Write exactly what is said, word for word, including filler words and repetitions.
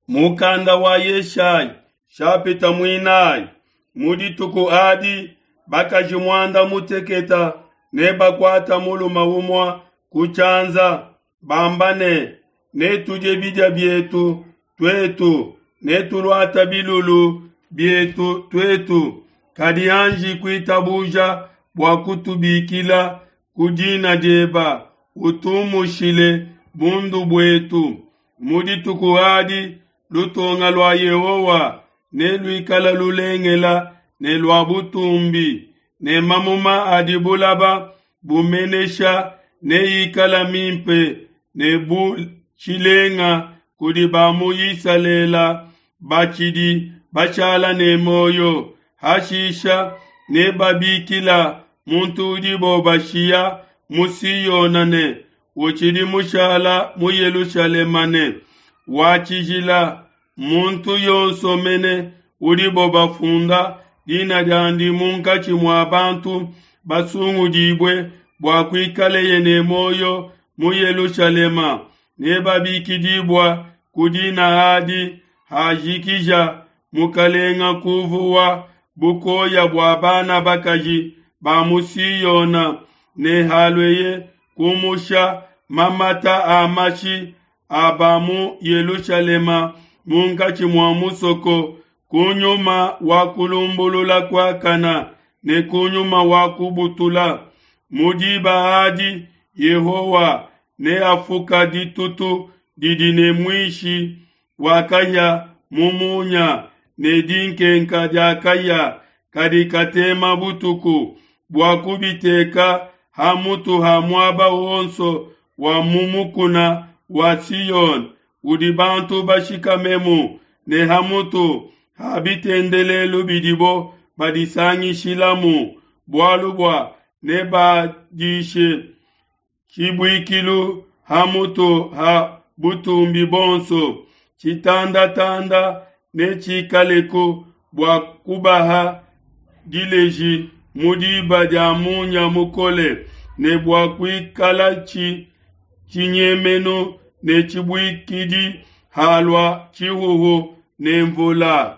Mukanda wa Yeshaya shapita muinayi. Mu dituku adi bakaji muanda muteketa ne bakuata muluma umua ku tshianza bamba ne netudie bidia bietu tuetu netuluata bilulu bietu tuetu kadi anji kuitabuja bua kutubikila ku dina dieba utumushile bundu buetu. Mu dituku adi lutonga lua Yehowa ne luikala lulengela ne lua butumbi ne mamuma adi bulaba bumenesha neikala mimpe ne bu tshilenga kudi ba mu Isalele batshidi bashala ne muoyo. Hashisha nebabikila muntu udibo bashiya mu Siona ne utshidi mushala mu Yelushalema ne, Wa tshijila, muntu yonso mene udibo bafunda dina diandi munkatshi mua bantu basungudibue bua kuikaleye ne muoyo mu Yelushalema, nebabikidibua ku dina adi. Hajikija mukalenga kuvuwa bukoya bua bana bakaji ba mu Siona ne halueye kumusha mamata a mashi a ba mu Yelushalema munkatshi mua musoko, ku nyuma wa kulumbulula kuakana ne ku nyuma wa kubutula. Mu diba adi Yehowa neafuka ditutu didi ne muishi wa kahia mu munya ne dinkenka dia kahia kadi katema butuku, bua kubiteka ha mutu ha muaba wonso wa mu mukuna wa Siona udi bantu bashikamemu, ne ha mutu ha bitendelelu bidibo badisangishilamu, bualu bua nebadishe tshibuikilu ha mutu ha butumbi buonso. Tshitandatanda netshikaleku bua kubaha dileji mu diba dia munya mukole, ne bua kuikalatshi tshinyemenu ne tshibuikidi halua tshihuhu ne nvula.